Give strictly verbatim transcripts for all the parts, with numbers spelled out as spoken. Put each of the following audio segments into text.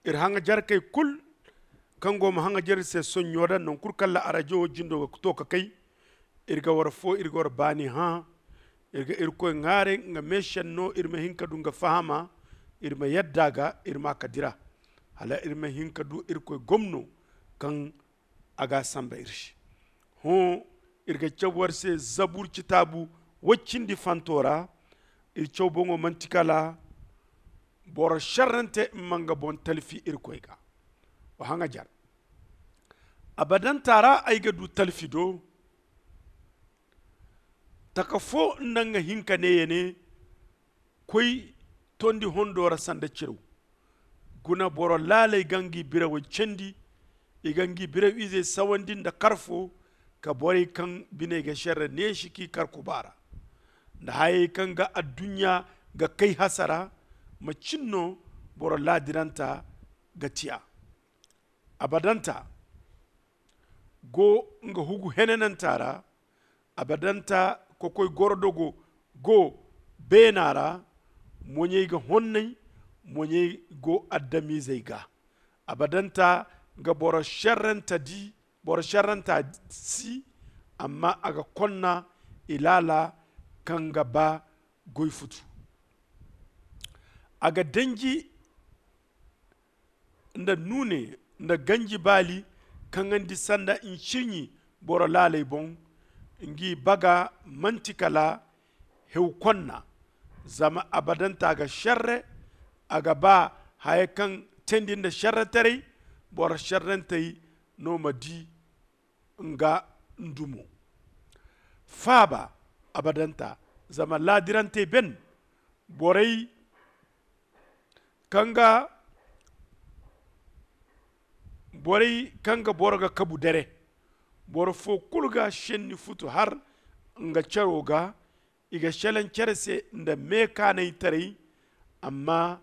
iri haŋajarkey kul kaŋ go ma haŋajar iri se sonɲo da naŋ kulu kaŋ ra arajo wo jindo ga to ka kay. Iri ga war fo iri ga war baani hã. Iri ga irkoy ŋwaaray nga meešenno iri ma hin ka du nga fahama. Iri ma yadda ga iri ma a ka dira hala iri ma hin ka du irkoy gomno kaŋ a ga a samba iri se. Hõ, iri ga caw war se zabur citaabu woy cindi fanto ra. Iri caw boŋo manti kala boro šerrante ma nga boŋ talfi irkoy ga. Wa haŋajar abadanta ra ay ga du talfi do taka fo nda nga hinka ne ya ne. Koy tondi hondo ra sanda ciraw. Guna boro laaley ga ngi birawey candi. I ga ngi biraw izey sawandi nda karfo ka borey kaŋ biney ga šerre neesi k'i kar kuba ra nda hayey kaŋ ga adduɲɲa ga kay hasara. Ma cin no boro laadiranta ga tiya. Abadanta go nga hugu henananta ra. Abadanta kokoy gorodogo go beena ra. Moɲey ga honnay. Moɲey go adamizey ga. Abadanta ga boro šerranta di boro šerranta si. Amma a ga konna ilaala kaŋ ga ba goy futu. A ga danji nda nuune nda ganji baali kaŋandi sanda ncirɲi boro laaley boŋ. Ngi baga manti kala hew konna. Zama abadanta ga šerre. A ga ba haya kaŋ teendi nda šerretaray. Boro šerrentey no ma di nga ndumo. Faaba abadanta zama laadirantey ben borey kaŋ ga borey kaŋ ga boro ga kabu dere. Boro fo kulu ga šenni futu har nga caro ga. I ga šelaŋ cere se nda meekaanaytaray. Amma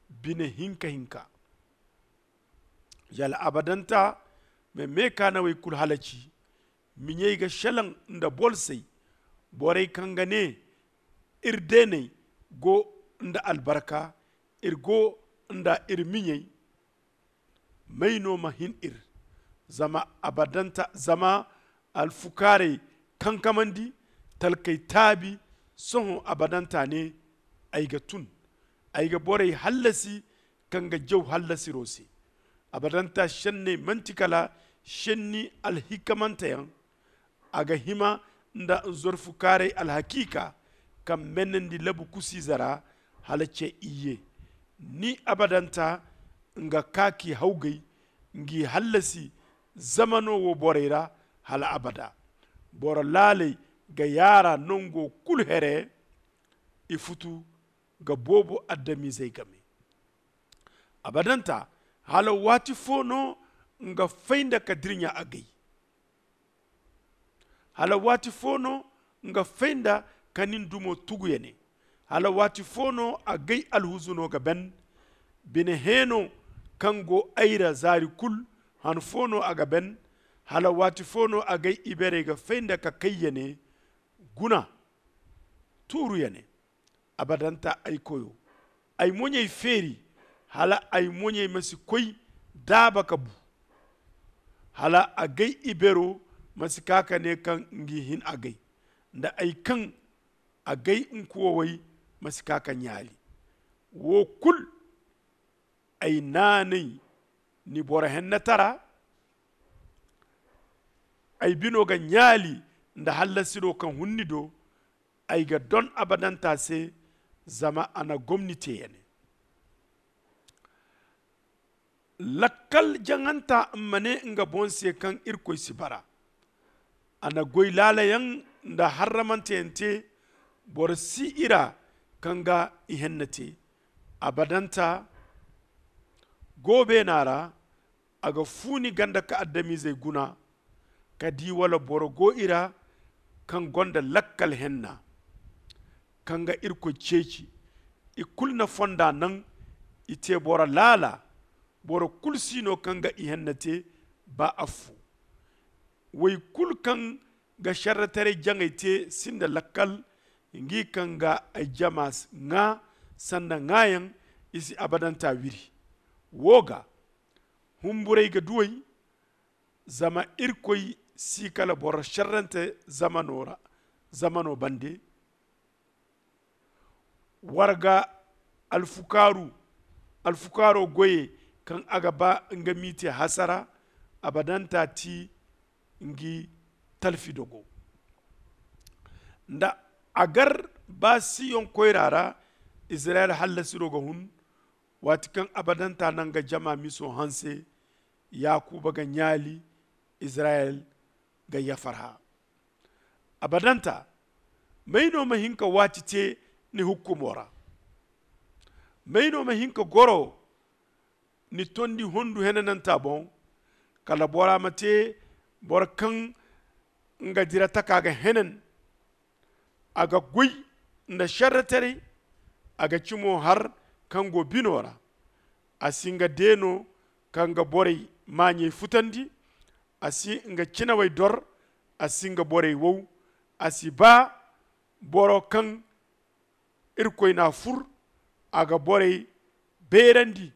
bine hinka hinka yala abadanta ma meekaanawey kulu halaci. Miɲey ga šelaŋ nda bolsey. Borey kaŋ ga ne iri deeney go nda albarka. Iri go nda iri miɲey. May no ma hin iri? Zama abadanta zama alfukaarey kankamandi. Talkey taabi. Sohõ abadanta ne ay ga tun. Ay ga borey hallasi kaŋ ga jaw hallasiro se. Abadanta šenney manti kala šenni alhikamanteyaŋ. A ga hima nda nzorfukaaray alhakiika kaŋ menandi labu kusiize ra hala ce iyye. Ni abadanta nga ka k'i hawgay. Ngi hallasi zamano wo borey ra hala abada. Boro laaley ga yaara nango kulu here. I futu ga boobo adamizey game. Abadanta hala waati fo no nga fay nda ka dirɲa agay? Hala waati fo no nga fay nda ka nin dumo tugu ya ne? Hala waati fo no agay alhuzuno ga ben? Bine heeno kaŋ go ay ra zaari kulu han fo no a ga ben? Hala waati fo no agay iberey ga fay nda ka kay ya ne? Guna tuuru ya ne? Abadanta ay koyo, ay moɲey feeri hala ay moɲey ma si koy daaba ka bu. Hala agay ibero ma si ka ka ne kaŋ ngi hin agay nda ay kaŋ agay nkuwawey ma si ka ka ɲaali. Wo kulu ay naanay ni boro hennetara. Ay bino ga ɲaali nda hallasiro kaŋ hun ni do. Ay ga don abadanta se zama a na gomni te ya ne. Lakkal jaŋanta ma ne nga boŋ se kaŋ irkoy si bara. A na goy laalayaŋ nda harramanteyante. Boro si i ra kaŋ ga i henne te. Abadanta go beena ra. A ga fuuni ganda ka adamizey guna ka di wala boro go i ra kaŋ gonda lakkal henna kaŋ ga irkoy ceeci. I kulu na fonda naŋ i te boro laala. Boro kulu si no kaŋ ga i henna te ba affo. Wey kulu kaŋ ga šerretaray jaŋay te sinda lakkal. Ngi kaŋ ga ay jama ŋaa sanda ŋaayaŋ i si abadanta wiri. wo ga humburay ga duway. Zama irkoy si kala boro šerrante zamano ra zamano bande. War ga alfukaaru alfukaaro goyey kaŋ a ga ba nga m'i te hasara. Abadanta ti ngi talfi dogo nda a gar ba siyoŋ koyra ra. Izirayel hallasiro ga hun waati kaŋ abadanta na nga jama miso hanse. Yaakuba ga ɲaali izirayel ga yafarha. Abadanta may no ma hin ka waati te ni hukkumo ra? May no ma hin ka goro ni tondi hondu henananta boŋ? Kala bora ma te boro kaŋ nga dira taka ga henan. A ga goy nda šerretaray. A ga cimo har kaŋ go bino ra. A si nga deeno kaŋ ga borey maaɲey futandi. A si nga cinawey dor. A si nga borey wow. A si ba boro kaŋ irkoy n'a fur. A ga borey beerandi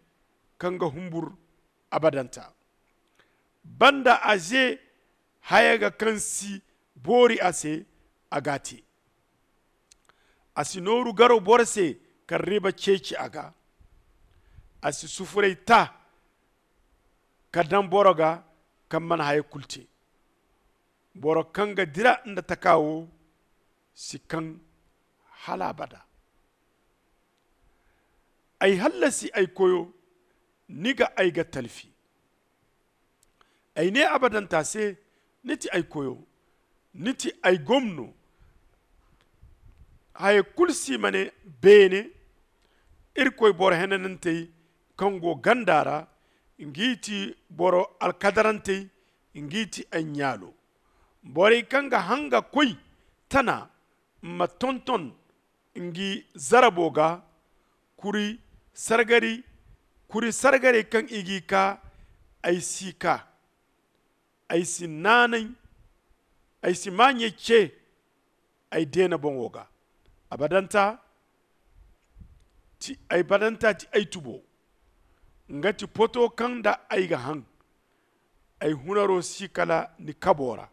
kaŋ ga humbur abadanta. Banda a ze haya ga kaŋ si boori a se a g'a te. A si nooru garo boro se kaŋ riba ceeci a ga. A si sufuray ta ka daŋ boro ga kaŋ mana haya kulu te. Boro kaŋ ga dira nda taka wo si kaŋ hala abada. Ay hallasi ay koyo, ni ga ay ga talfi. Ay ne abadanta se, ni ti ay koyo, ni ti ay gomno. Haya kulu si ma ne beene. Irkoy boro henanantey kaŋ go ganda ra, ngi ti boro alkadarantey, ngi ti ay ɲaalo. Borey kaŋ ga hanga koy tana ma tonton ngi zarabo ga. Kuri sargari kuri sargarey kaŋ i g'i ka ay si ka. Ay si naanay ay si maaɲey ce ay deena boŋo ga. Abadanta ti ay badanta ti ay tubo. Nga ti poto kaŋ nda ay ga haŋ ay hunaro si kala ni kabo ra.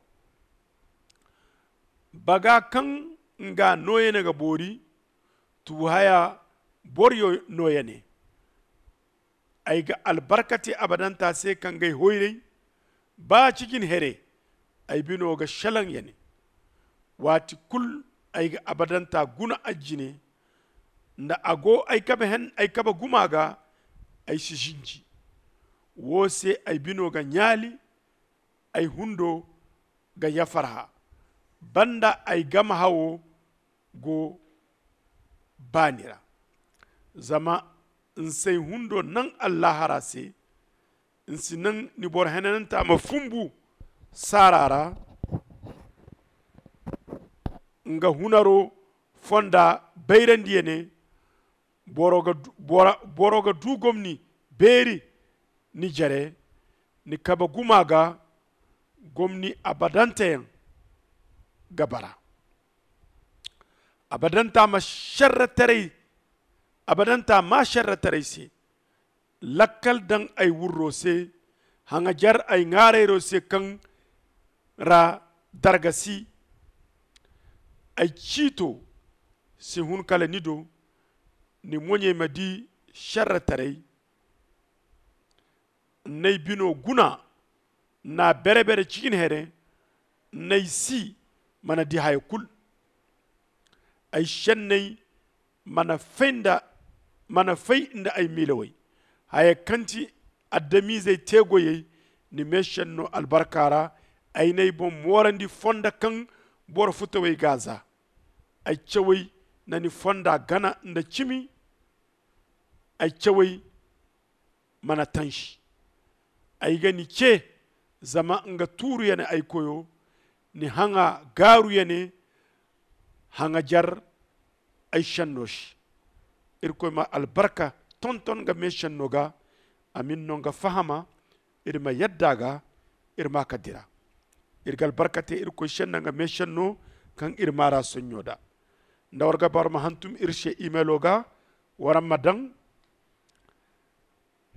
Baga kaŋ nga nooyane ga boori tubu haya boro nooyane. Ay ga albarka te abadanta se kaŋ g'ay hoyray. Ba cijin here ay bino ga šelaŋ ya ne. Waati kulu ay ga abadanta guna a jine. Nda a go ay kabe guma ga ay si zinji. Wo se ay bino ga ɲaali. Ay hundo ga yafarha banda ay game hawo go baani ra. Zama n's'ay hundo naŋ allaahara se. N'si naŋ ni boro henananta ma fumbu saara ra. Nga hunaro fonda bayrandi ya ne. Boro ga du gomni beeri ni jere ni kabe guma ga. Gomni abadanteyaŋ ga bara. Abadanta ma šerretaray abadanta ma šerretaray se. Lakkal daŋ ay wurro se. Haŋajer ay ŋaarayro se kaŋ ra darga si. Ay ciito si hun kala ni do. Ni moɲey ma di šerretaray. N'ay bino guna n'a bere-bere cikin here. N'ay si mana di haya kulu. Ay šenney mana fay nda ay miilawey. Haya kaŋ ti adamizey te goyey ni meešenno albarka ra. Ay n'ay boŋ moorandi fonda kaŋ boro futawey g'a za. Ay cawey na ni fonda gana nda cimi. Ay cawey mana tansi. Ay ga ni ce zama nga tuuru ya ne ay koyo. Ni haŋa gaaru ya ne. Haŋajer ay šenno se. Irkoy ma albarka tonton nga meešenno ga. A m'iri no nga fahama. Iri ma yadda a ga. Iri ma ka dira. Iri ga albarka te irkoy šenna nga meešenno kaŋ iri maara soɲɲo da. Nda war ga ba war ma hantum iri se imelo ga. War ma daŋ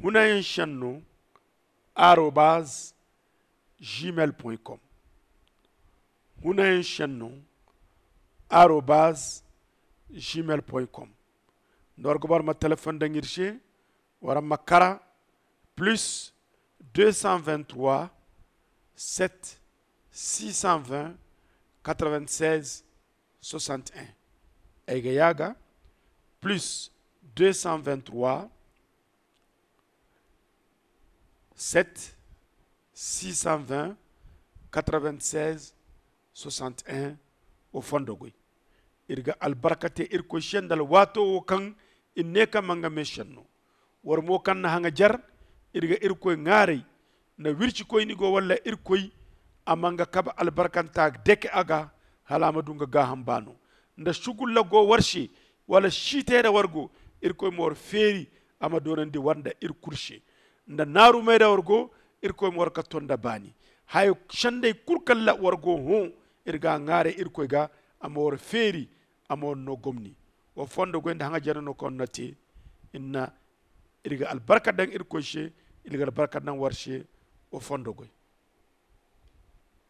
Hunayaŋ senno arobaz gmail point com. Hunayaŋ senno arobaz gmail point com. Nda war ga boro ma telefon daŋ iri se, wala ma kara plus deux cent vingt trois sept six cent vingt quatre vingt seize soixante et un. Ay ga yaaga plus deux cent vingt trois sept six cent vingt quatre vingt seize soixante et un. Wo fondo goy. Iri ga albarka te irkoy se nda alwaato wo kaŋ iri ne kaŋ ma nga me senno. War mo kaŋ na haŋajer, iri ga irkoy ŋaaray nda wircikoyni go walla irkoy a ma nga kabe albarkanta dake a ga, hala a ma du nga gaaham baano. Nda sugulla go war se wala siitay ra war go, irkoy ma war feeri a ma doonandi war nda iri kulu se. Nda naarumey ra war go, irkoy ma war ka to nda baani. Hayo sendey kulu kaŋ ra war go hõ, iri ga a ŋwaaray irkoy ga, a ma war feeri, a ma war no gomni. Wa fondo goy nda haŋajer no kaŋ war na te. Inna iri ga albarka daŋ irkoy se, iri ga albarka daŋ war se. Wa fondo goy.